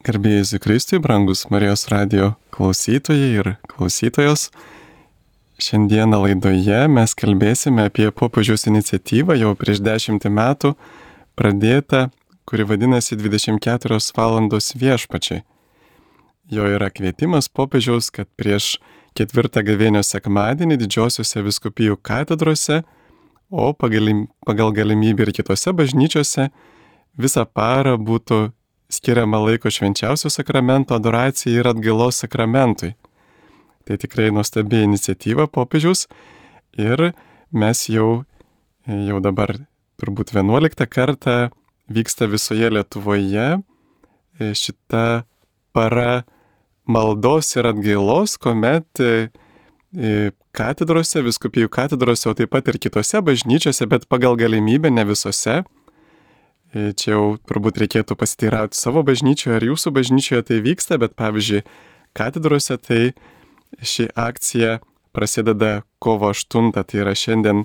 Garbėjai Jėzui Kristui, brangus Marijos radijo klausytojai ir klausytojos. Šiandieną laidoje mes kalbėsime apie popiežiaus iniciatyvą jau prieš 10 metų pradėtą, kuri vadinasi 24 valandos viešpačiai. Jo yra kvietimas popiežiaus, kad prieš 4 gavėnios sekmadienį didžiosiuose vyskupijų katedrose, o pagal galimybę ir kitose bažnyčiose visą parą būtų skiriama laiko švenčiausio sakramento adoracijai ir atgailos sakramentui. Tai tikrai nuostabi iniciatyva popiežiaus ir mes jau dabar turbūt 11 kartą vyksta visoje Lietuvoje šita para maldos ir atgailos, kuomet katedrose, vyskupijų katedrose, o taip pat ir kitose bažnyčiose, bet pagal galimybę ne visose. Čia jau turbūt reikėtų pasiteirauti savo bažnyčioje ar jūsų bažnyčioje tai vyksta, bet pavyzdžiui, katedrose tai ši akcija prasideda kovo 8, tai yra šiandien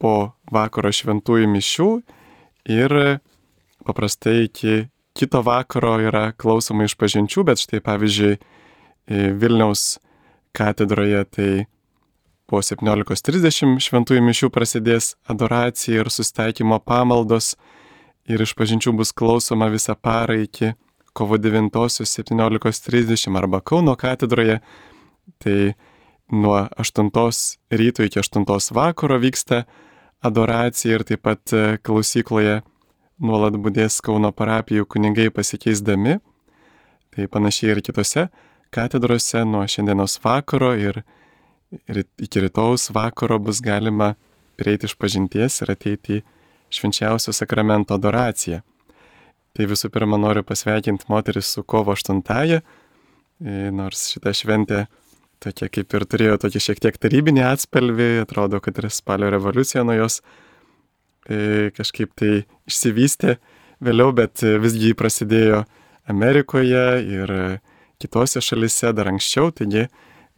po vakaro šventųjų mišių ir paprastai iki kito vakaro yra klausoma išpažinčių, bet štai pavyzdžiui Vilniaus katedroje tai po 17:30 šventųjų mišių prasidės adoracija ir susitaikymo pamaldos ir išpažinčių bus klausoma visą parą iki kovo 9 17:30 arba Kauno katedroje. Tai nuo 8 ryto iki 8 vakaro vyksta adoracija ir taip pat klausykloje nuolat budės Kauno parapijų kunigai pasikeisdami. Tai panašiai ir kitose katedrose nuo šiandienos vakaro ir iki rytojaus vakaro bus galima prieiti išpažinties ir ateiti į švenčiausio sakramento adoraciją. Tai visų pirma noriu pasveikinti moteris su kovo 8, nors šita šventė tokia kaip ir turėjo tokį šiek tiek tarybinį atspalvį, atrodo, kad ir spalio revoliucija nuo jos kažkaip tai išsivystė vėliau, bet visgi prasidėjo Amerikoje ir kitose šalise dar anksčiau, taigi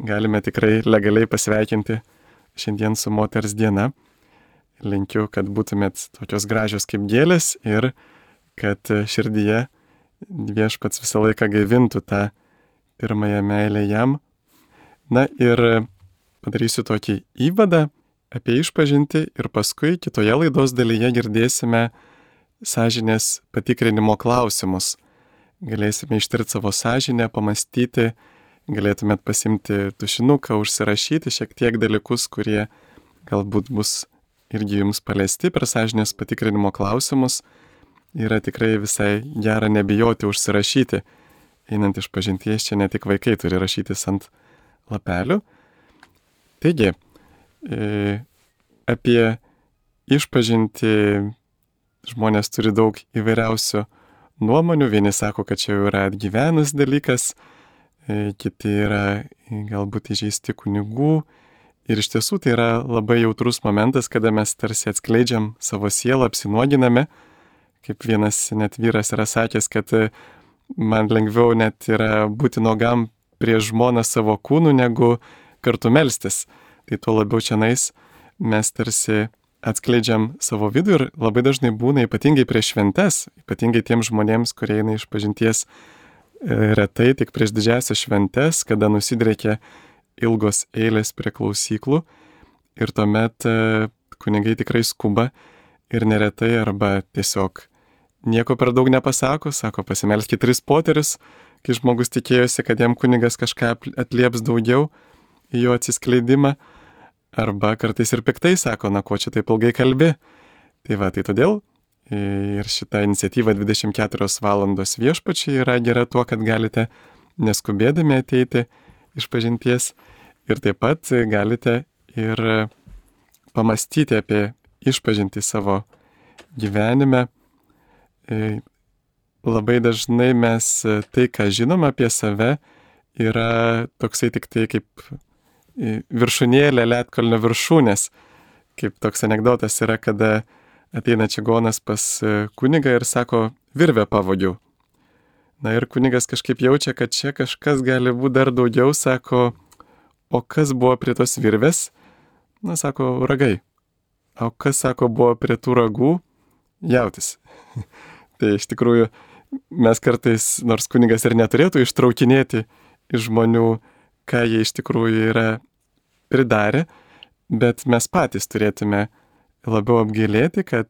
galime tikrai legaliai pasveikinti šiandien su moters diena. Linkiu, kad būtumėt tokios gražios kaip gėlės ir kad širdyje viešpats visą laiką gaivintų tą pirmąją meilę jam. Na ir padarysiu tokį įvadą apie išpažintį ir paskui kitoje laidos dalyje girdėsime sąžinės patikrinimo klausimus. Galėsime ištirti savo sąžinę, pamastyti, galėtumėt pasimti tušinuką, užsirašyti šiek tiek dalykus, kurie galbūt bus irgi jums paliesti per sąžinės patikrinimo klausimus. Yra tikrai visai gera nebijoti užsirašyti. Einant išpažinties, čia ne tik vaikai turi rašytis ant lapelių. Taigi, apie išpažintį žmonės turi daug įvairiausių nuomonių. Vieni sako, kad čia jau yra atgyvenus dalykas, kiti yra galbūt įžeisti kunigų. Ir iš tiesų tai yra labai jautrus momentas, kada mes tarsi atskleidžiam savo sielą, apsinuoginame. Kaip vienas net vyras yra sakęs, kad man lengviau net yra būti nuogam prieš žmoną savo kūnų, negu kartu melstis. Tai tuo labiau čianais mes tarsi atskleidžiam savo vidų ir labai dažnai būna ypatingai prieš šventes, ypatingai tiems žmonėms, kurie eina išpažinties retai tik prieš didžiąsias šventes, kada nusidriekia ilgos eilės prie klausyklų ir tuomet kunigai tikrai skuba ir neretai arba tiesiog nieko per daug nepasako, sako pasimelskit 3 poterius, kai žmogus tikėjosi, kad jam kunigas kažką atlieps daugiau į jo atsiskleidimą, arba kartais ir piktai sako, na ko čia taip ilgai kalbi. Tai va, tai todėl ir šita iniciatyva 24 valandos viešpačiai yra gera tuo, kad galite neskubėdami ateiti išpažinties ir taip pat galite ir pamastyti apie išpažintį savo gyvenime. Labai dažnai mes tai, ką žinom apie save, yra toksai tik tai kaip viršūnėlė ledkalnio viršūnės. Kaip toks anekdotas yra, kada ateina čigonas pas kunigą ir sako, virvę pavogiau. Na ir kunigas kažkaip jaučia, kad čia kažkas gali būti dar daugiau, sako, o kas buvo prie tos virvės? Na, sako, ragai. O kas, sako, buvo prie tų ragų? Jautis. Tai iš tikrųjų mes kartais, nors kunigas ir neturėtų ištraukinėti iš žmonių, ką jie iš tikrųjų yra pridarę, bet mes patys turėtume labiau apgailėti, kad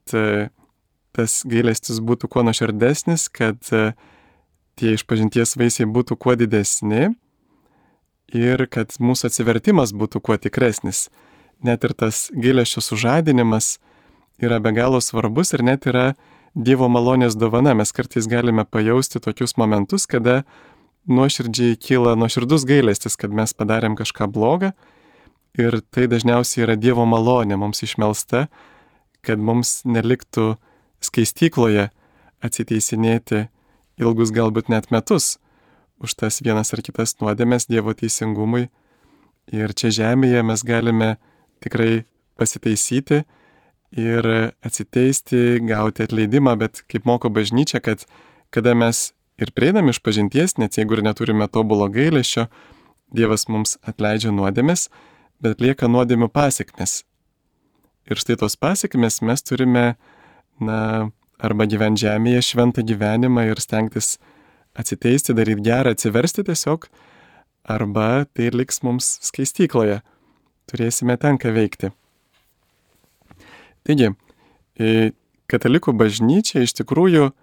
tas gailestis būtų kuo nuoširdesnis, kad tie išpažinties vaisiai būtų kuo didesni ir kad mūsų atsivertimas būtų kuo tikresnis. Net ir tas gailesčio sužadinimas yra be galo svarbus ir net yra Dievo malonės dovana. Mes kartais galime pajausti tokius momentus, kada nuoširdžiai kyla nuoširdus gailestis, kad mes padarėm kažką blogą ir tai dažniausiai yra Dievo malonė mums išmelsta, kad mums neliktų skaistykloje atsiteisinėti ilgus galbūt net metus už tas vienas ar kitas nuodėmes Dievo teisingumui. Ir čia žemėje mes galime tikrai pasitaisyti ir atsiteisti, gauti atleidimą, bet kaip moko bažnyčia, kad kada mes ir prieinam išpažinties, net jeigu ir neturime tobulo gailesčio, Dievas mums atleidžia nuodėmes, bet lieka nuodėmių pasekmės. Ir štai tos pasekmės mes turime, arba gyventi žemėje šventą gyvenimą ir stengtis atsiteisti, daryti gerą, atsiversti tiesiog, arba tai liks mums skaistykloje. Turėsime ten ką veikti. Taigi, katalikų bažnyčia iš tikrųjų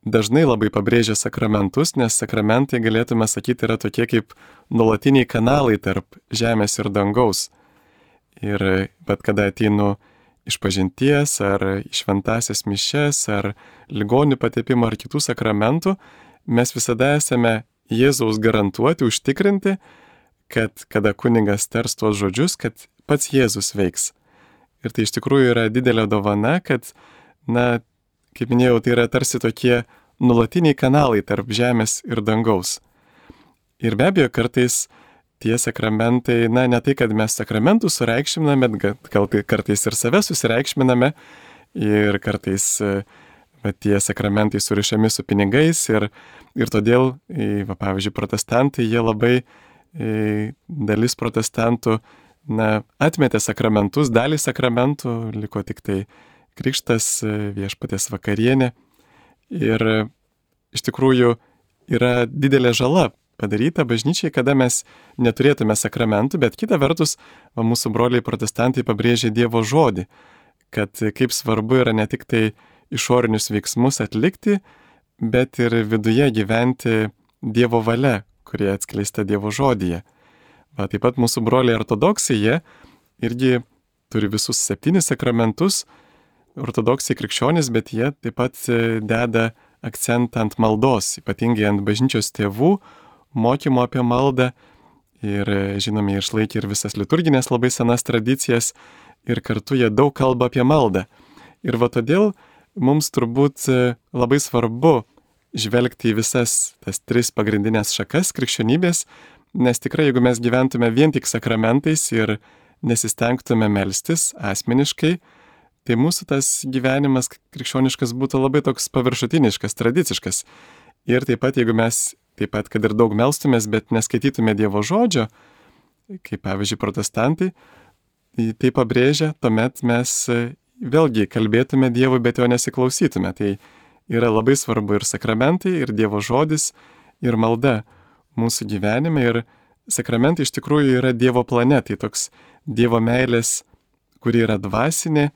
dažnai labai pabrėžia sakramentus, nes sakramentai, galėtume sakyti, yra tokie kaip nuolatiniai kanalai tarp žemės ir dangaus. Ir bet kada ateinu išpažinties, ar šventasias mišes, ar ligonių patepimo, ar kitų sakramentų, mes visada esame Jėzaus garantuoti, užtikrinti, kad kada kunigas tars tuos žodžius, kad pats Jėzus veiks. Ir tai iš tikrųjų yra didelė dovana, kad, kaip minėjau, tai yra tarsi tokie nuolatiniai kanalai tarp žemės ir dangaus. Ir be abejo, kartais tie sakramentai, ne tai, kad mes sakramentus sureikšminame, bet gal kartais ir save susireikšminame ir kartais tie sakramentai surišami su pinigais ir todėl, pavyzdžiui, protestantai, jie labai, dalis protestantų, atmetė sakramentus, dalį sakramentų, liko tik tai krikštas, viešpaties vakarienė. Ir iš tikrųjų yra didelė žala padaryta bažnyčiai, kada mes neturėtume sakramentų, bet kita vertus, mūsų broliai protestantai pabrėžė Dievo žodį, kad kaip svarbu yra ne tik tai išorinius veiksmus atlikti, bet ir viduje gyventi Dievo valia, kurie atskleista Dievo žodyje. Taip pat mūsų broliai ortodoksai, jie irgi turi visus 7 sakramentus, ortodoksai krikščionys, bet jie taip pat deda akcentą ant maldos, ypatingai ant bažnyčios tėvų, mokymo apie maldą ir, žinome, išlaikė ir visas liturginės labai senas tradicijas ir kartu jie daug kalba apie maldą. Ir todėl mums turbūt labai svarbu žvelgti į visas tas 3 pagrindinės šakas krikščionybės, nes tikrai, jeigu mes gyventume vien tik sakramentais ir nesistengtume melstis asmeniškai, tai mūsų tas gyvenimas krikščioniškas būtų labai toks paviršutiniškas, tradiciškas. Ir taip pat, jeigu mes kad ir daug melstumės, bet neskaitytume Dievo žodžio, kaip pavyzdžiui protestantai, tai pabrėžia, tuomet mes vėlgi kalbėtume Dievui, bet jo nesiklausytume. Tai yra labai svarbu ir sakramentai, ir Dievo žodis, ir malda mūsų gyvenime. Ir sakramentai iš tikrųjų yra Dievo plane, tai toks Dievo meilės, kuri yra dvasinė,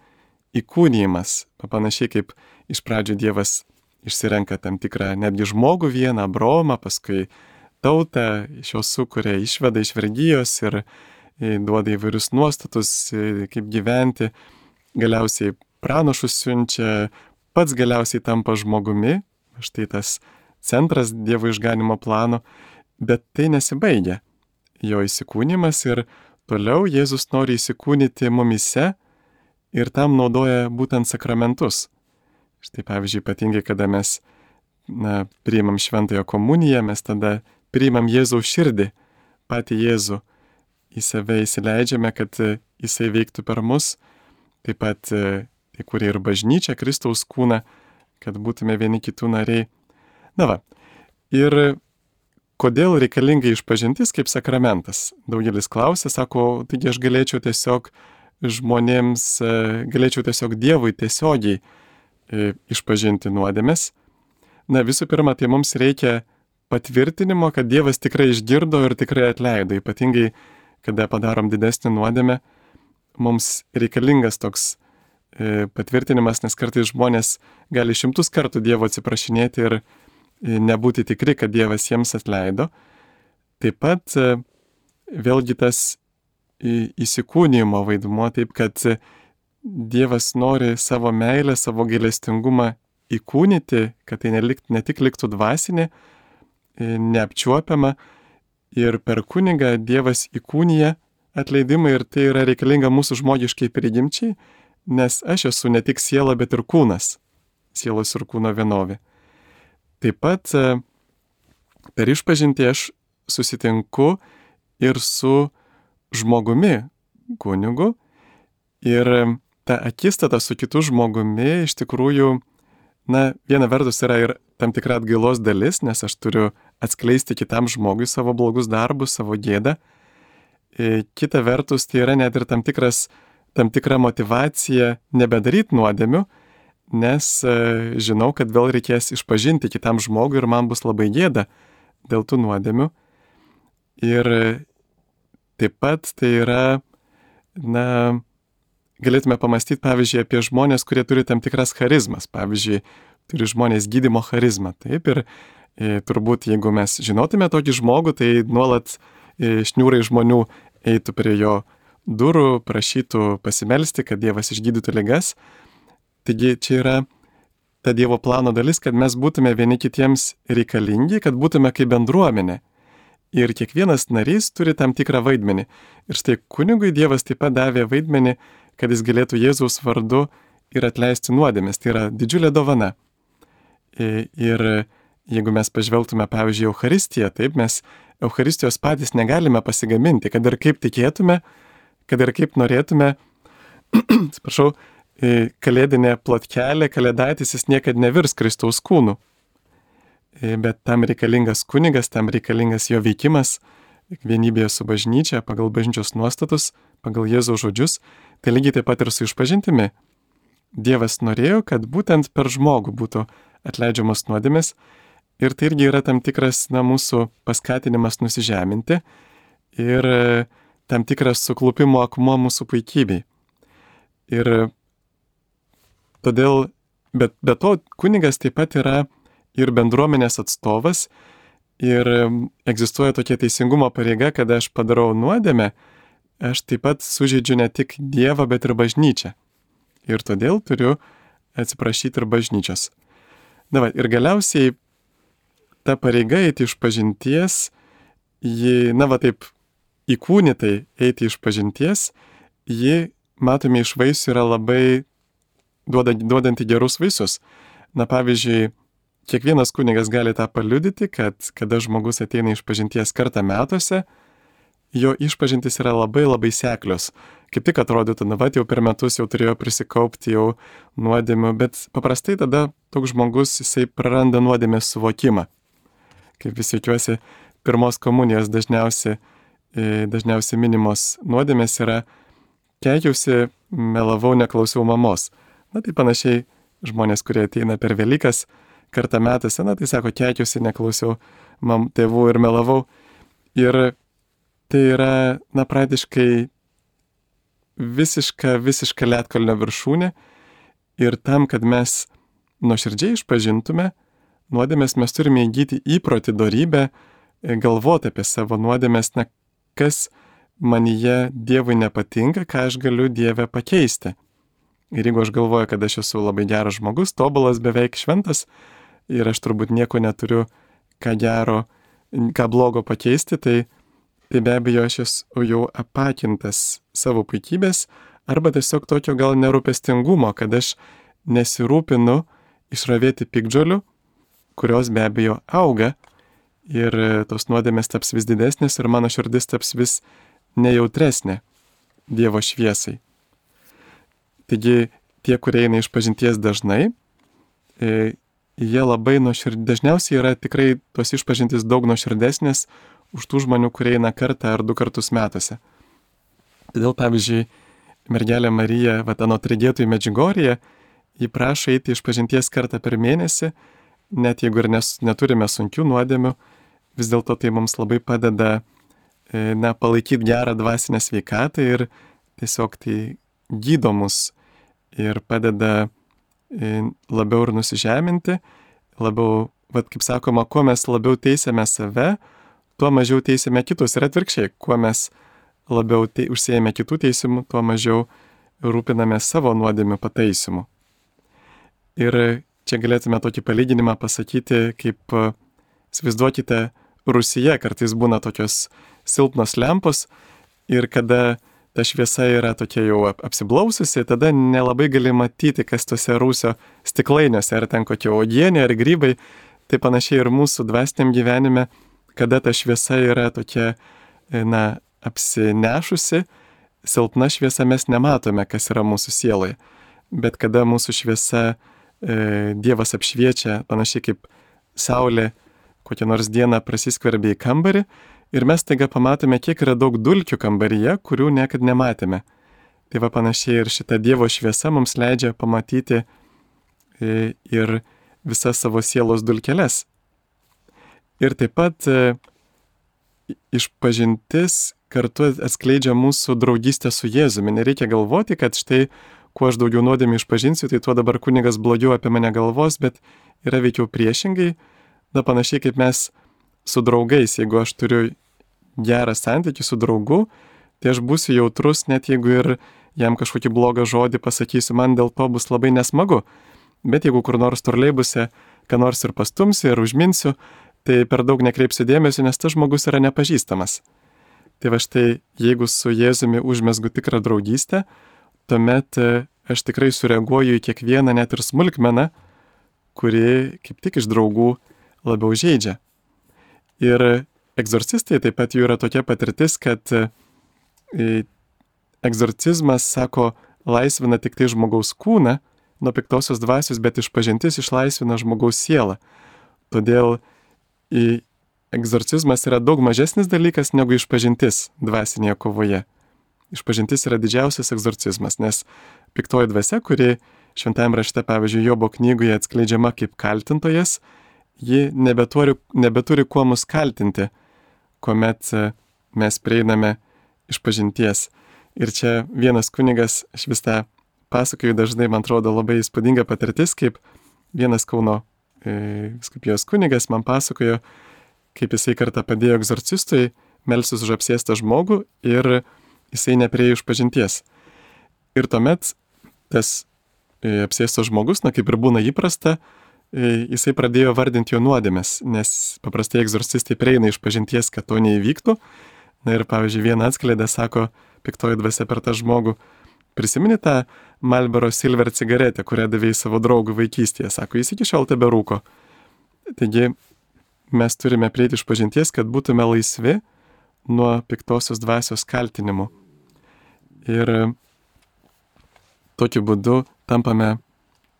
įkūnijimas. Panašiai kaip iš pradžių Dievas išsirenka tam tikrą netgi žmogų vieną, Abraomą, paskui tautą, iš jo sukuria, išveda iš vergijos ir duoda įvairius nuostatus, kaip gyventi, galiausiai pranašus siunčia, pats galiausiai tampa žmogumi, štai tas centras Dievo išganimo plano, bet tai nesibaigia. Jo įsikūnimas ir toliau Jėzus nori įsikūnyti mumyse ir tam naudoja būtent sakramentus. Štai pavyzdžiui, ypatingai, kada mes priimam šventąją komuniją, mes tada priimam Jėzaus širdį, patį Jėzų, į save įsileidžiame, kad jisai veiktų per mus, taip pat įkūrė ir bažnyčią, Kristaus kūną, kad būtume vieni kitų nariai. Ir kodėl reikalinga išpažintis kaip sakramentas? Daugelis klausia, sako, taigi aš galėčiau tiesiog žmonėms, galėčiau tiesiog Dievui tiesiogiai išpažinti nuodėmes. Na visų pirma, tai mums reikia patvirtinimo, kad Dievas tikrai išgirdo ir tikrai atleido. Ypatingai, kada padarom didesnį nuodėmę, mums reikalingas toks patvirtinimas, nes kartais žmonės gali 100 kartų Dievo atsiprašinėti ir nebūti tikri, kad Dievas jiems atleido. Taip pat vėlgi tas įsikūnijimo vaidmuo, taip kad Dievas nori savo meilę, savo gailestingumą įkūnyti, kad tai ne tik liktų dvasinė, neapčiuopiama, ir per kunigą Dievas įkūnija atleidimą ir tai yra reikalinga mūsų žmogiškai prigimčiai, nes aš esu ne tik siela, bet ir kūnas, sielos ir kūno vienovė. Taip pat per išpažintį aš susitinku ir su žmogumi, kunigu, ir ta akistata su kitu žmogumi iš tikrųjų, viena vertus yra ir tam tikra atgailos dalis, nes aš turiu atskleisti kitam žmogui savo blogus darbus, savo gėdą. Kita vertus, tai yra net ir tam tikra motyvacija nebedaryti nuodėmių, nes žinau, kad vėl reikės išpažinti kitam žmogui ir man bus labai gėda dėl tų nuodėmių. Ir taip pat tai yra, galėtume pamastyti, pavyzdžiui, apie žmonės, kurie turi tam tikras charizmas. Pavyzdžiui, turi žmonės gydymo charizmą. Taip, ir turbūt, jeigu mes žinotume tokį žmogų, tai nuolat šniūrai žmonių eitų prie jo durų, prašytų pasimelsti, kad Dievas išgydytų ligas. Taigi čia yra ta Dievo plano dalis, kad mes būtume vieni kitiems reikalingi, kad būtume kaip bendruomenė. Ir kiekvienas narys turi tam tikrą vaidmenį. Ir štai kunigui Dievas taip pat davė vaidmenį, kad jis galėtų Jėzaus vardu ir atleisti nuodėmes. Tai yra didžiulė dovana. Ir jeigu mes pažvelgtume, pavyzdžiui, Eucharistiją, taip, mes Eucharistijos patys negalime pasigaminti, kad ir kaip tikėtume, kad ir kaip norėtume, atsiprašau, kalėdinė plotkelė, kalėdaitis, jis niekad nevirs Kristaus kūnu. Bet tam reikalingas kunigas, tam reikalingas jo veikimas, vienybėje su bažnyčia, pagal bažnyčios nuostatus, pagal Jėzaus žodžius, tai lygiai taip pat ir su išpažintimi. Dievas norėjo, kad būtent per žmogų būtų atleidžiamas nuodėmės, ir tai irgi yra tam tikras mūsų paskatinimas nusižeminti ir tam tikras suklupimo akmuo mūsų puikybei. Ir todėl, be to, kunigas taip pat yra ir bendruomenės atstovas, ir egzistuoja tokia teisingumo pareiga, kad aš padarau nuodėmę, aš taip pat sužeidžiu ne tik Dievą, bet ir bažnyčią. Ir todėl turiu atsiprašyti ir bažnyčios. Ir galiausiai ta pareiga eiti iš pažinties, ji, taip įkūnytai eiti iš pažinties, ji, matome, iš vaisių yra labai duodanti gerus vaisius. Pavyzdžiui, kiekvienas kunigas gali tą paliudyti, kad kada žmogus ateina iš pažinties kartą metuose, jo išpažintis yra labai labai seklios. Kaip tik atrodytų, jau per metus jau turėjo prisikaupti jau nuodėmių, bet paprastai tada toks žmogus, jisai praranda nuodėmės suvokimą. Kaip vis tikiuosi, pirmos komunijos dažniausiai minimos nuodėmės yra keikiausi, melavau, neklausiau mamos. Tai panašiai žmonės, kurie ateina per Velykas kartą metuose, tai sako, keikiausi, neklausiau tėvų ir melavau. Ir tai yra, praktiškai visiška ledkalnio viršūnė. Ir tam, kad mes nuoširdžiai išpažintume nuodėmės, mes turime įgyti įprotį, dorybę, galvoti apie savo nuodėmės, kas manyje Dievui nepatinka, ką aš galiu Dieve pakeisti. Ir jeigu aš galvoju, kad aš esu labai geras žmogus, tobulas, beveik šventas, ir aš turbūt nieko neturiu ką blogo pakeisti, tai be abejo aš esu jau apakintas savo puikybės, arba tiesiog tokio gal nerūpestingumo, kad aš nesirūpinu išravėti piktžolių, kurios be abejo auga, ir tos nuodėmės taps vis didesnės ir mano širdis taps vis nejautresnė Dievo šviesai. Taigi tie, kurie eina iš pažinties dažnai, jie labai dažniausiai yra tikrai tos išpažintys daug nuoširdesnės už tų žmonių, kurie eina kartą ar 2 kartus metuose. Todėl, pavyzdžiui, mergelė Marija, anot regėtojų Medžiugorjėje, ji prašo eiti iš pažinties kartą per mėnesį, net jeigu ir neturime sunkių nuodėmių, vis dėlto tai mums labai padeda palaikyti gerą dvasinę sveikatą ir tiesiog tai gydo mus ir padeda labiau ir nusižeminti, labiau, kaip sakoma, kuo mes labiau teisėme save, tuo mažiau teisėme kitus ir atvirkščiai, kuo mes labiau užsiėmė kitų teisimų, tuo mažiau rūpiname savo nuodėmių pataisymu. Ir čia galėtume tokį palyginimą pasakyti, kaip įsivaizduokite, Rūsyje kartais būna tokios silpnos lempos ir kada ta šviesa yra tokia jau apsiblaususi, tada nelabai gali matyti, kas tose rūsio stiklainiuose, ar ten kokie uogienė, ar grybai. Tai panašiai ir mūsų dvasiniam gyvenime, kada ta šviesa yra tokia, apsinešusi, silpna šviesa, mes nematome, kas yra mūsų sieloje. Bet kada mūsų šviesa Dievas apšviečia, panašiai kaip saulė kokią nors dieną prasiskverbia į kambarį ir mes taiga pamatome, kiek yra daug dulkių kambaryje, kurių niekad nematėme. Tai va panašiai ir šita Dievo šviesa mums leidžia pamatyti ir visas savo sielos dulkeles. Ir taip pat išpažintis kartu atskleidžia mūsų draugystę su Jėzumi. Nereikia galvoti, kad štai, kuo aš daugiau nuodėmių išpažinsiu, tai tuo dabar kunigas blogiau apie mane galvos, bet yra veikiau priešingai. Panašiai kaip mes su draugais, jeigu aš turiu gerą santykį su draugu, tai aš būsiu jautrus, net jeigu ir jam kažkokį blogą žodį pasakysiu, man dėl to bus labai nesmagu. Bet jeigu kur nors troleibuse, ką nors ir pastumsiu ir užminsiu, tai per daug nekreipsiu dėmesio, nes tas žmogus yra nepažįstamas. Tai va štai, jeigu su Jėzumi užmesgu tikrą draugystę, tuomet aš tikrai sureaguoju į kiekvieną net ir smulkmeną, kuri kaip tik iš draugų labiau žeidžia. Ir egzorcistai taip pat jų yra tokia patirtis, kad egzorcizmas, sako, laisvina tik tai žmogaus kūną nuo piktosios dvasios, bet išpažintis išlaisvina žmogaus sielą. Todėl egzorcizmas yra daug mažesnis dalykas negu išpažintis dvasinėje kovoje. Išpažintis yra didžiausias egzorcizmas, nes piktoji dvasia, kuri šventajame rašte, pavyzdžiui, Jobo knygoje atskleidžiama kaip kaltintojas, ji nebeturi kuo mus kaltinti, kuomet mes prieiname išpažinties. Ir čia vienas kunigas, aš vis tą pasakoju dažnai, man atrodo, labai įspūdinga patirtis, kaip vienas Kauno vyskupijos kunigas man pasakojo, kaip jisai kartą padėjo egzorcistui melstis už apsėstą žmogų ir jisai nepriėjo išpažinties. Ir tuomet tas apsėstas žmogus, kaip ir būna įprasta, jisai pradėjo vardinti jo nuodėmes, nes paprastai egzorcistai prieina išpažinties, kad to neįvyktų. Ir pavyzdžiui, vieną atskleidė, sako, piktoji dvasia per tą žmogų, prisimeni tą Marlboro Silver cigaretę, kurią davėjai savo draugui vaikystėje, sako, jis iki šiol teberūko. Taigi mes turime prieiti išpažinties, kad būtume laisvi nuo piktosios dvasios kaltinimų. Ir tokiu būdu tampame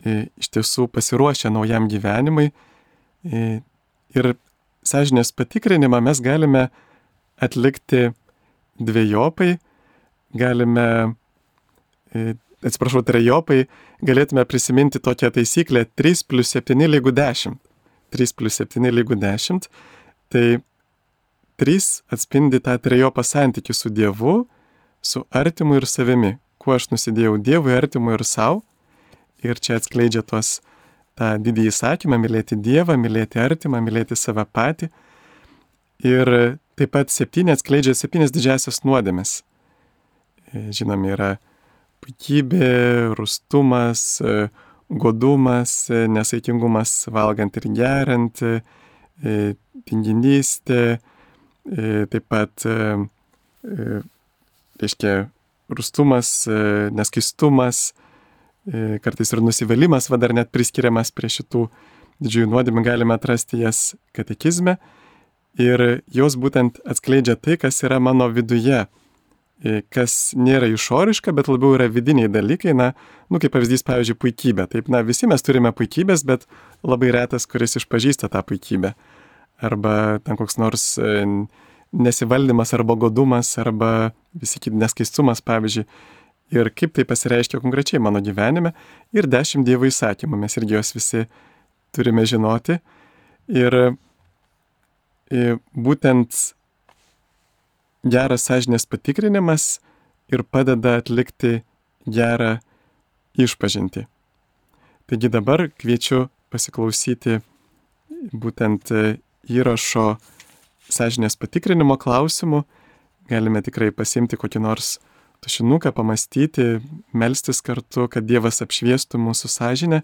iš tiesų pasiruošę naujam gyvenimui ir sąžinės patikrinimą mes galime atlikti dvejopai, trejopai, galėtume prisiminti tokią taisyklę 3+7 = 10. 3+7 = 10. Tai 3 atspindi tą trejopą santykį su Dievu, su artimu ir savimi. Kuo aš nusidėjau Dievui, artimui ir savo. Ir čia atskleidžia tą didįjį įsakymą, mylėti Dievą, mylėti artimą, mylėti save patį. Ir taip pat 7 atskleidžia 7 didžiasias nuodėmes. Žinomi yra puikybė, rūstumas, godumas, nesaikingumas valgant ir geriant, tinginystė, taip pat, rūstumas, neskaistumas, kartais ir nusivylimas, dar net priskiriamas prie šitų didžiųjų nuodėmių, galime atrasti jas katekizme ir jos būtent atskleidžia tai, kas yra mano viduje, kas nėra išoriška, bet labiau yra vidiniai dalykai, kaip pavyzdys, pavyzdžiui, puikybė. Taip, visi mes turime puikybės, bet labai retas, kuris išpažįsta tą puikybę. Arba ten koks nors nesivaldymas, arba godumas, arba visi kiti neskaistumas, pavyzdžiui. Ir kaip tai pasireiškia konkrečiai mano gyvenime. Ir 10 Dievo įsakymų, mes irgi juos visi turime žinoti. Ir būtent geras sąžinės patikrinimas ir padeda atlikti gerą išpažintį. Taigi dabar kviečiu pasiklausyti būtent įrašo sąžinės patikrinimo klausimų. Galime tikrai pasiimti kokį nors tušinuką, pamastyti, melstis kartu, kad Dievas apšviestų mūsų sąžinę,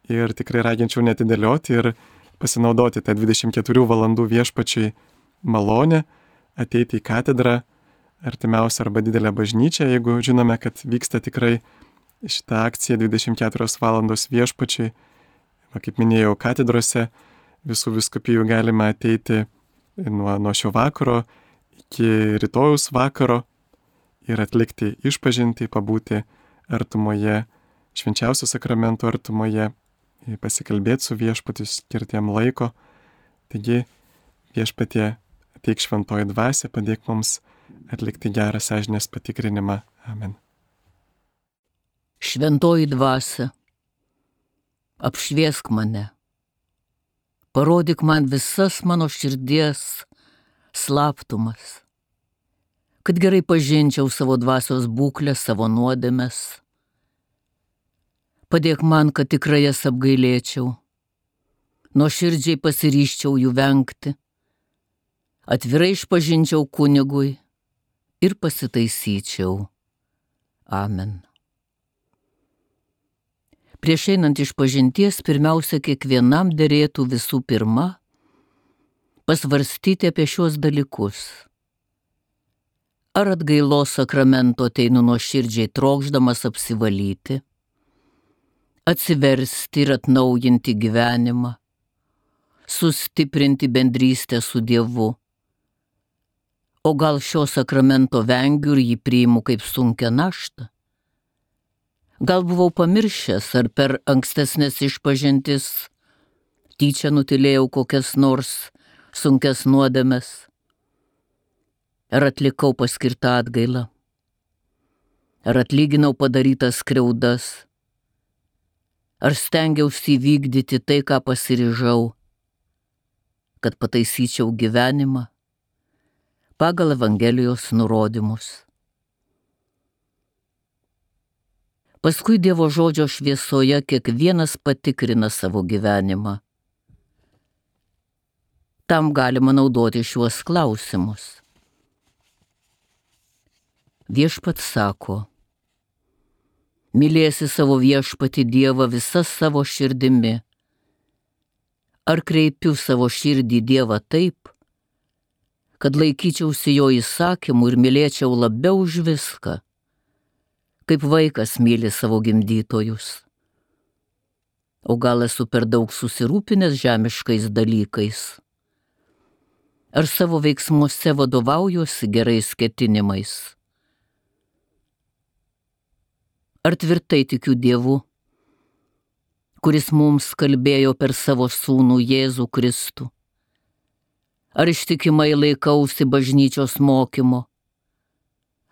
ir tikrai raginčiau netidėlioti ir pasinaudoti tą 24 valandų viešpačiui malonę, ateiti į katedrą, artimiausią arba didelę bažnyčią, jeigu žinome, kad vyksta tikrai šitą akciją 24 valandos viešpačiui. Kaip minėjau, katedrose visų vyskupijų galima ateiti nuo šio vakaro iki rytojaus vakaro ir atlikti išpažintį, pabūti artumoje, švenčiausio sakramento artumoje, pasikalbėti su viešpatiu, skirti jam laiko. Taigi viešpatie, ateik šventoji dvasia, padėk mums atlikti gerą sąžinės patikrinimą. Amen. Šventoji dvasia, apšviesk mane, parodyk man visas mano širdies slaptumas, kad gerai pažinčiau savo dvasios būklę, savo nuodėmes. Padėk man, kad tikrai jas apgailėčiau, nuoširdžiai pasiryžčiau jų vengti, atvirai išpažinčiau kunigui ir pasitaisyčiau. Amen. Prieš einant išpažinties pirmiausia kiekvienam derėtų visų pirma pasvarstyti apie šiuos dalykus. Ar atgailos sakramento ateinu nuoširdžiai trokšdamas apsivalyti, atsiversti ir atnaujinti gyvenimą, sustiprinti bendrystę su Dievu. O gal šio sakramento vengiu ir jį priimu kaip sunkią naštą? Gal buvau pamiršęs, ar per ankstesnės išpažintis tyčia nutilėjau kokias nors sunkias nuodėmes? Ar atlikau paskirtą atgailą? Ar atlyginau padarytas skriaudas? Ar stengiausi įvykdyti tai, ką pasiryžau, kad pataisyčiau gyvenimą pagal Evangelijos nurodymus? Paskui Dievo žodžio šviesoje kiekvienas patikrina savo gyvenimą. Tam galima naudoti šiuos klausimus. Viešpats sako: mylėsi savo viešpatį Dievą visa savo širdimi. Ar kreipiu savo širdį Dievą taip, kad laikyčiausi jo įsakymų ir mylėčiau labiau už viską, kaip vaikas myli savo gimdytojus? O gal esu per daug susirūpinęs žemiškais dalykais? Ar savo veiksmuose vadovaujuosi gerais ketinimais? Ar tvirtai tikiu Dievu, kuris mums kalbėjo per savo sūnų Jėzų Kristų? Ar ištikimai laikausi bažnyčios mokymo?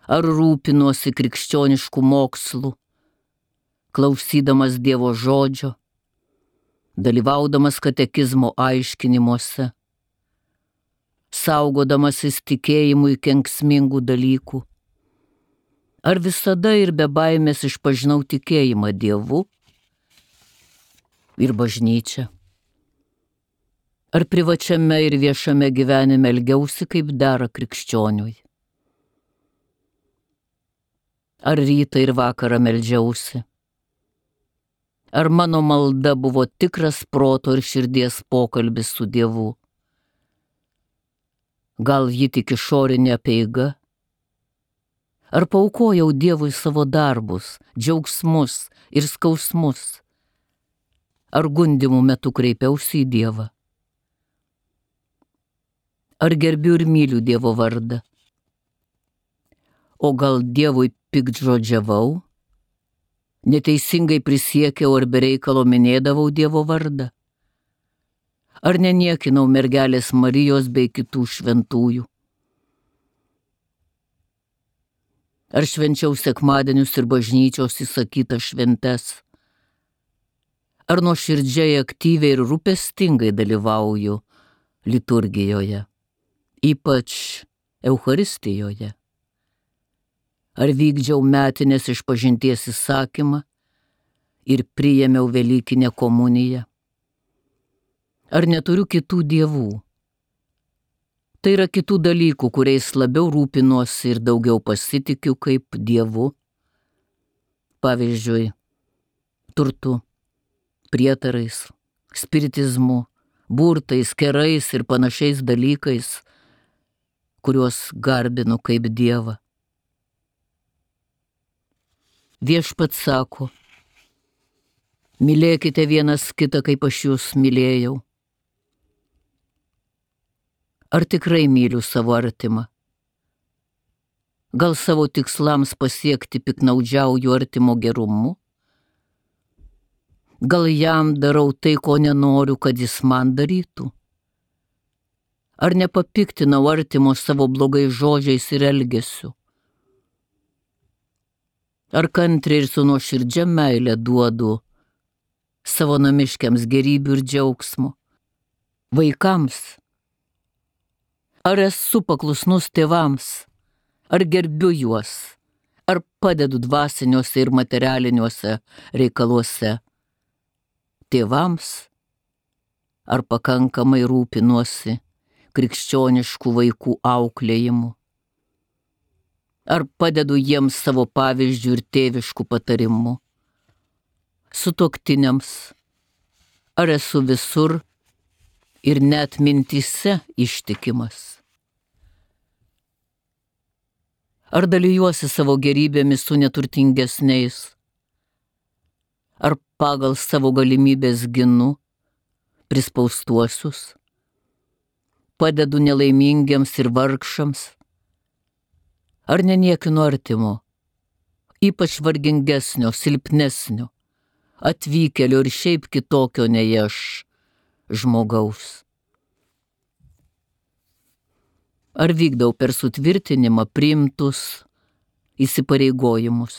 Ar rūpinuosi krikščioniškų mokslų, klausydamas Dievo žodžio, dalyvaudamas katekizmo aiškinimuose, saugodamasis tikėjimui kenksmingų dalykų? Ar visada ir be baimės išpažinau tikėjimą Dievu ir bažnyčią? Ar privačiame ir viešame gyvenime elgiausi kaip dera krikščioniui? Ar rytą ir vakarą meldžiausi? Ar mano malda buvo tikras proto ir širdies pokalbis su Dievu? Gal ji tik išorinė apeiga? Ar paaukojau Dievui savo darbus, džiaugsmus ir skausmus? Ar gundymų metu kreipiausi į Dievą? Ar gerbiu ir myliu Dievo vardą? O gal Dievui piktžodžiavau, neteisingai prisiekiau ar bereikalo minėdavau Dievo vardą? Ar neniekinau mergelės Marijos bei kitų šventųjų? Ar švenčiau sekmadienius ir bažnyčios įsakytas šventes? Ar nuoširdžiai, aktyviai ir rūpestingai dalyvauju liturgijoje, ypač Eucharistijoje? Ar vykdžiau metinės išpažinties įsakymą ir priėmiau Velykinę komuniją? Ar neturiu kitų dievų? Tai yra kitų dalykų, kuriais labiau rūpinuosi ir daugiau pasitikiu kaip dievu. Pavyzdžiui, turtu, prietarais, spiritizmu, burtais, kerais ir panašiais dalykais, kuriuos garbinu kaip dievą. Viešpats sako, mylėkite vienas kitą, kaip aš jūs mylėjau. Ar tikrai myliu savo artimą? Gal savo tikslams pasiekti piknaudžiauju artimo gerumu? Gal jam darau tai, ko nenoriu, kad jis man darytų? Ar nepapiktinau artimo savo blogais žodžiais ir elgesiu? Ar kantriai ir su nuoširdžia meile duodu savo namiškiams gerybių ir džiaugsmo? Vaikams? Ar esu paklusnus tėvams? Ar gerbiu juos? Ar padedu dvasiniuose ir materialiniuose reikaluose? Tėvams? Ar pakankamai rūpinuosi krikščioniškų vaikų auklėjimu? Ar padedu jiems savo pavyzdžių ir tėviškų patarimų? Sutuoktiniams? Ar esu visur ir net mintyse ištikimas? Ar dalijuosi savo gerybėmis su neturtingesniais? Ar pagal savo galimybės ginu prispaustuosius? Padedu nelaimingiams ir vargšams? Ar neniekinu artimo, ypač vargingesnio, silpnesnio, atvykėlio ir šiaip kitokio nei aš žmogaus? Ar vykdau per sutvirtinimą priimtus įsipareigojimus,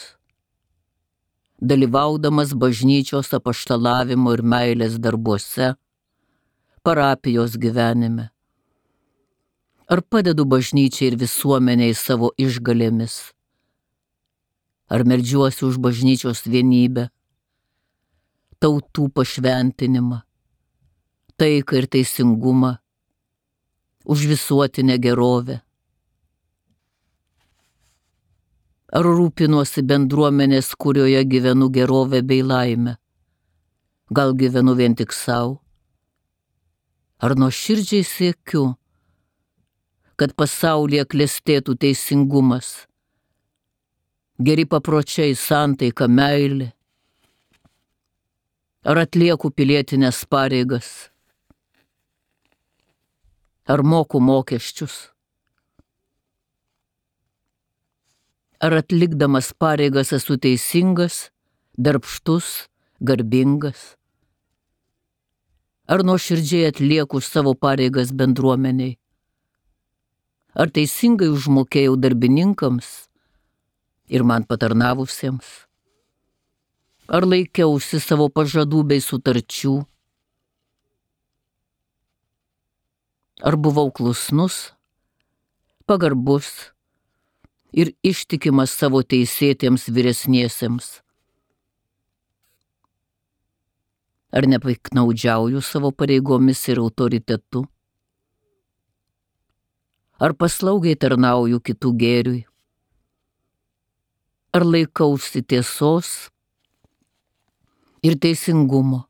dalyvaudamas bažnyčios apaštalavimo ir meilės darbuose, parapijos gyvenime? Ar padedu bažnyčiai ir visuomeniai savo išgalėmis? Ar meldžiuosi už bažnyčios vienybę, tautų pašventinimą, taiką ir teisingumą, už visuotinę gerovę? Ar rūpinuosi bendruomenės, kurioje gyvenu gerovę bei laimę? Gal gyvenu vien tik savo? Ar nuoširdžiai siekiu, kad pasaulyje klestėtų teisingumas, geri papročiai, santaika, meilė? Ar atlieku pilietinės pareigas? Ar moku mokesčius? Ar atlikdamas pareigas esu teisingas, darbštus, garbingas? Ar nuoširdžiai atlieku savo pareigas bendruomeniai? Ar teisingai užmokėjau darbininkams ir man patarnavusiems? Ar laikiausi savo pažadų bei sutarčių? Ar buvau klusnus, pagarbus ir ištikimas savo teisėtiems vyresniesiems? Ar nepiknaudžiauju savo pareigomis ir autoritetu? Ar paslaugiai tarnauju kitų gėriui? Ar laikausi tiesos ir teisingumo,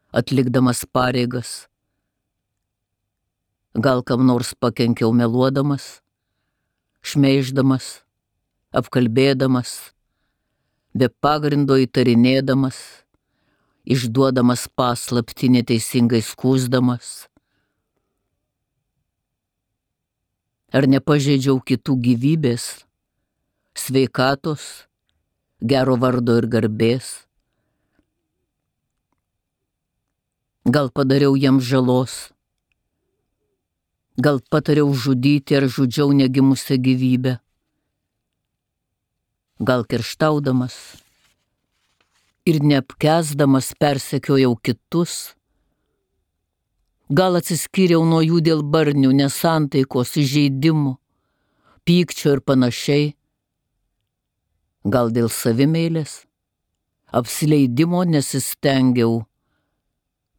atlikdamas pareigas? Gal kam nors pakenkiau meluodamas, šmeiždamas, apkalbėdamas, be pagrindo įtarinėdamas, išduodamas paslaptį neteisingai skųsdamas? Ar nepažeidžiau kitų gyvybės, sveikatos, gero vardo ir garbės? Gal padariau jiems žalos? Gal patariau žudyti ar žudžiau negimusią gyvybę? Gal kerštaudamas, ir neapkęsdamas persekiojau kitus, gal atsiskyriau nuo jų dėl barnių, nesantaikos, įžeidimų, pykčio ir panašiai, gal dėl savimeilės, apsileidimo nesistengiau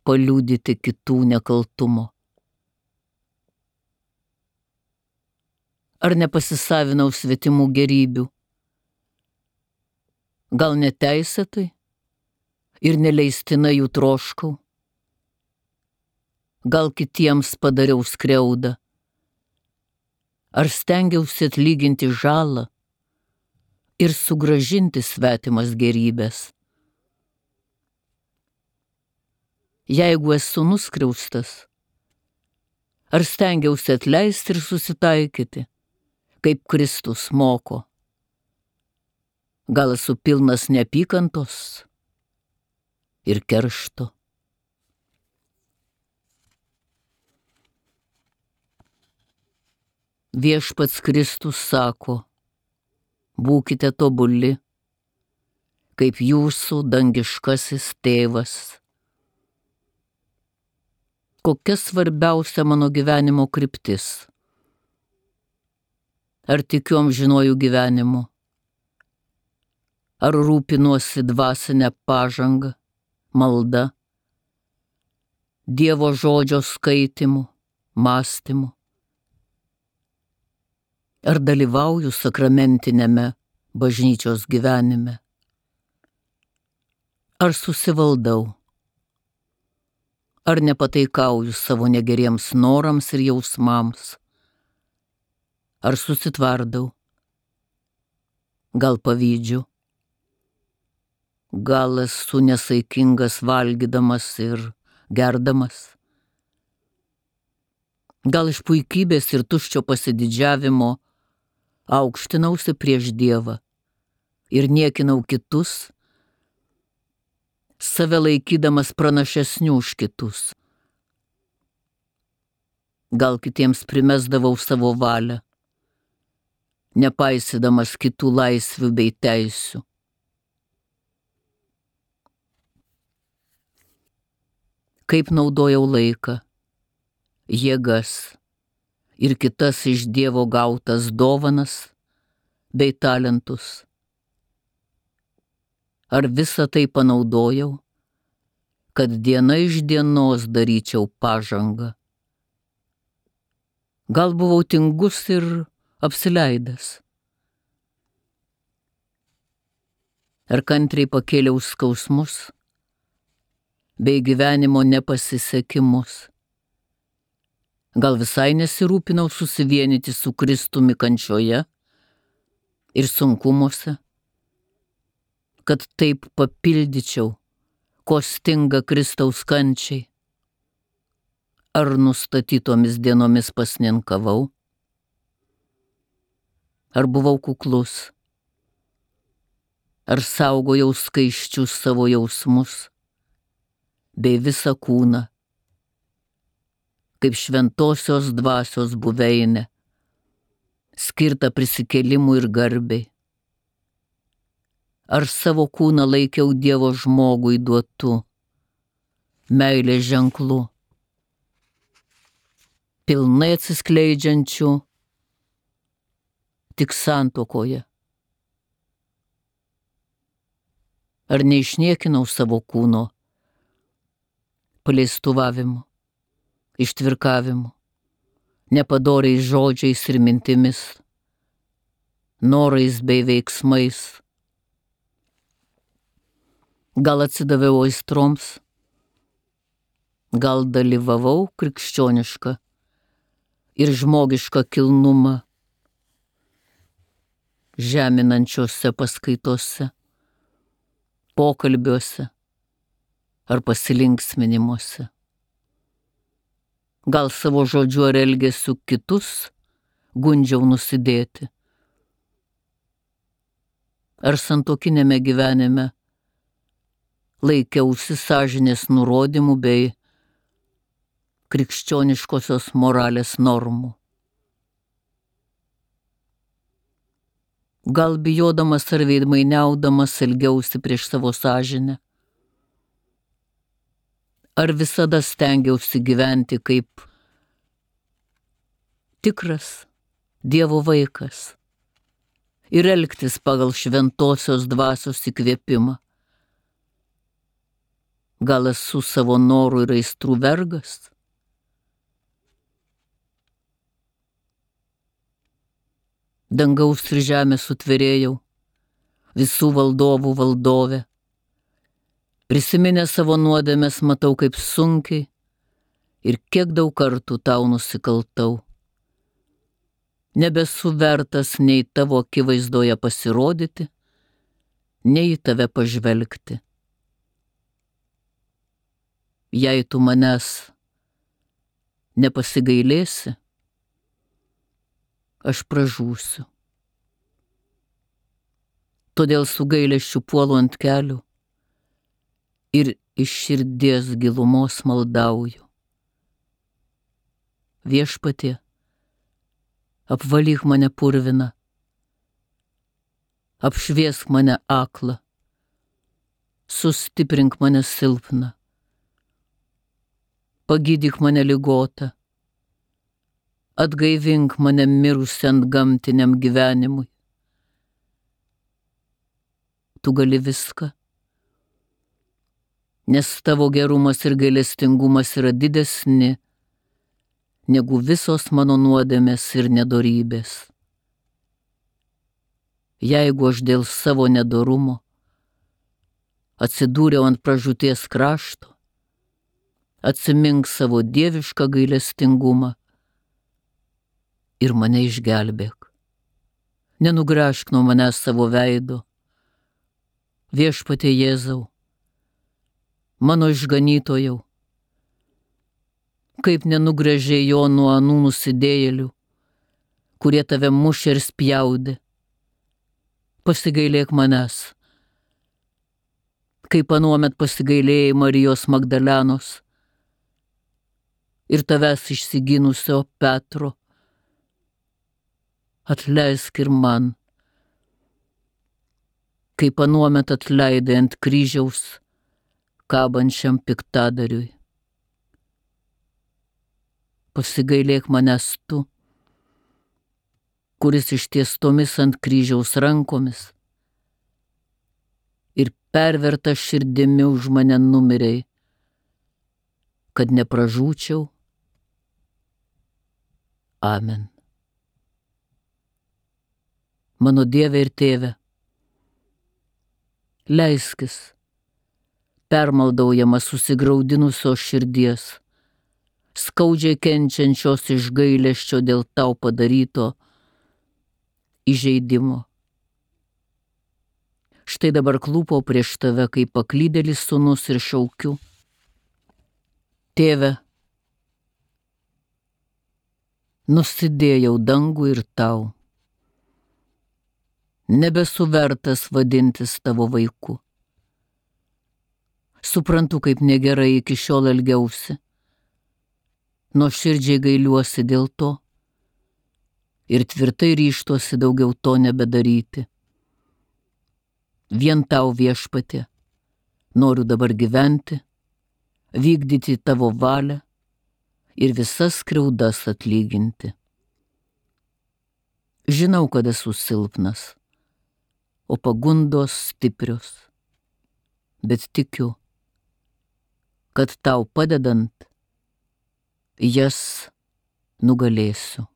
paliudyti kitų nekaltumo. Ar nepasisavinau svetimų gerybių, gal neteisėtai ir neleistina jų troškau, gal kitiems padariau skriaudą, ar stengiausi atlyginti žalą ir sugrąžinti svetimas gerybės. Jeigu esu nuskriaustas, ar stengiausi atleisti ir susitaikyti, kaip Kristus moko. Gal esu pilnas neapykantos ir keršto. Viešpats Kristus sako, būkite tobuli, kaip jūsų dangiškasis tėvas. Kokia svarbiausia mano gyvenimo kryptis? Ar tikiu amžinuoju gyvenimu? Ar rūpinuosi dvasinę pažangą, malda, Dievo žodžio skaitimu, mąstymu? Ar dalyvauju sakramentinėme bažnyčios gyvenime? Ar susivaldau? Ar nepataikauju savo negeriems norams ir jausmams? Ar susitvardau? Gal pavydžiu? Gal esu nesaikingas valgydamas ir gerdamas? Gal iš puikybės ir tuščio pasididžiavimo aukštinausi prieš Dievą ir niekinau kitus, save laikydamas pranašesnių už kitus? Gal kitiems primesdavau savo valią, nepaisydamas kitų laisvių bei teisių? Kaip naudojau laiką, jėgas ir kitas iš Dievo gautas dovanas bei talentus? Ar visą tai panaudojau, kad diena iš dienos daryčiau pažangą? Gal buvau tingus ir apsileidęs? Ar kantriai pakėliau skausmus bei gyvenimo nepasisekimus? Gal visai nesirūpinau susivienyti su Kristumi kančioje ir sunkumuose, kad taip papildyčiau, ko stinga Kristaus kančiai? Ar nustatytomis dienomis pasninkavau? Ar buvau kuklus? Ar saugojau skaisčius savo jausmus bei visą kūną, kaip šventosios dvasios buveinė, skirta prisikėlimui ir garbei? Ar savo kūną laikiau Dievo žmogui duotu meilės ženklu, pilnai atsiskleidžiančiu tik santuokoje? Ar neišniekinau savo kūno paleistuvavimu, ištvirkavimu, nepadoriais žodžiais ir mintimis, norais bei veiksmais? Gal atsidaviau aistroms? Gal dalyvavau krikščionišką ir žmogišką kilnumą žeminančiose paskaitose, pokalbiuose ar pasilinksminimuose? Gal savo žodžiu ar elgesiu kitus gundžiau nusidėti? Ar santuokinėme gyvenime laikiausi sąžinės nurodymų bei krikščioniškosios moralės normų? Gal bijodamas ar veidmainiaudamas elgiausi prieš savo sąžinę? Ar visada stengiausi gyventi kaip tikras Dievo vaikas ir elgtis pagal šventosios dvasios įkvėpimą? Gal esu savo norų ir aistrų vergas? Dangaus ir žemės sutvėrėjau, visų valdovų valdove. Prisiminę savo nuodėmes matau, kaip sunkiai ir kiek daug kartų tau nusikaltau. Nebesu vertas nei tavo akivaizdoje pasirodyti, nei į tave pažvelgti. Jei tu manęs nepasigailėsi, aš pražūsiu. Todėl su gailesčiu puolu ant kelių ir iš širdies gilumos maldauju. Viešpatie, apvalyk mane purviną, apšviesk mane aklą, sustiprink mane silpną, pagydyk mane ligotą, atgaivink mane mirusią antgamtiniam gyvenimui. Tu gali viską, nes tavo gerumas ir gailestingumas yra didesni negu visos mano nuodėmės ir nedorybės. Jeigu aš dėl savo nedorumo atsidūriau ant pražūties krašto, atsimink savo dievišką gailestingumą ir mane išgelbėk. Nenugrąžk nuo manęs savo veido. Viešpatie Jėzau, mano išganytojau, kaip nenugręžė jo nuo anų nusidėjėlių, kurie tave mušė ir spjaudė. Pasigailėk manęs, kaip anuomet pasigailėjai Marijos Magdalenos ir tavęs išsigynusio Petro. Atleisk ir man, kaip anuomet atleidai ant kryžiaus kabančiam piktadariui. Pasigailėk manęs tu, kuris ištiestomis ant kryžiaus rankomis ir perverta širdimi už mane numirei, kad nepražūčiau. Amen. Mano Dieve ir Tėve, leiskis permaldaujamas susigraudinusios širdies, skaudžiai kenčiančios iš gailesčio dėl tau padaryto įžeidimo. Štai dabar klūpau prieš tave kaip paklydėlis sūnus ir šaukiu: Tėve, nusidėjau dangų ir tau. Nebesu vertas vadintis tavo vaiku. Suprantu, kaip negerai iki šiol elgiausi. Nuoširdžiai gailiuosi dėl to ir tvirtai ryžtuosi daugiau to nebedaryti. Vien tau, Viešpatie, noriu dabar gyventi, vykdyti tavo valią ir visas skriaudas atlyginti. Žinau, kad esu silpnas, o pagundos stiprios, bet tikiu, kad tau padedant jas nugalėsiu.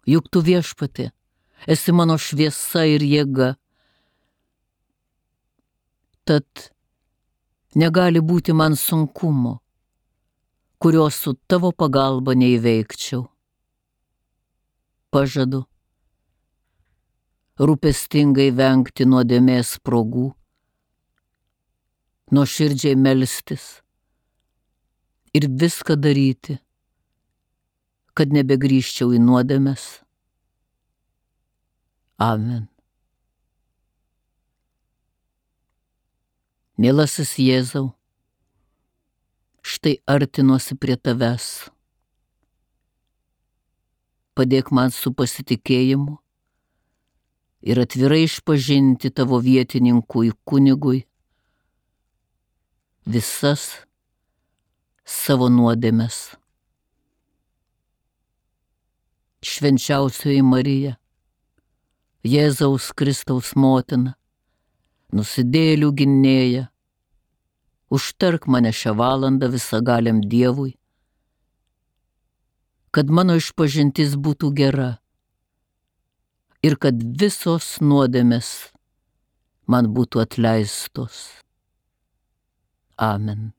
Juk tu, Viešpatie, esi mano šviesa ir jėga, tad negali būti man sunkumo, kurio su tavo pagalba neįveikčiau. Pažadu rūpestingai vengti nuodėmės spragų, nuoširdžiai melstis ir viską daryti, kad nebegrįžčiau į nuodėmes. Amen. Mielasis Jėzau, štai artinuosi prie tavęs. Padėk man su pasitikėjimu ir atvirai išpažinti tavo vietininkui kunigui visas savo nuodėmes. Švenčiausioji Marija, Jėzaus Kristaus motina, nusidėjėlių gynėja, užtark mane šią valandą visagaliam Dievui, kad mano išpažintis būtų gera ir kad visos nuodėmės man būtų atleistos. Amen.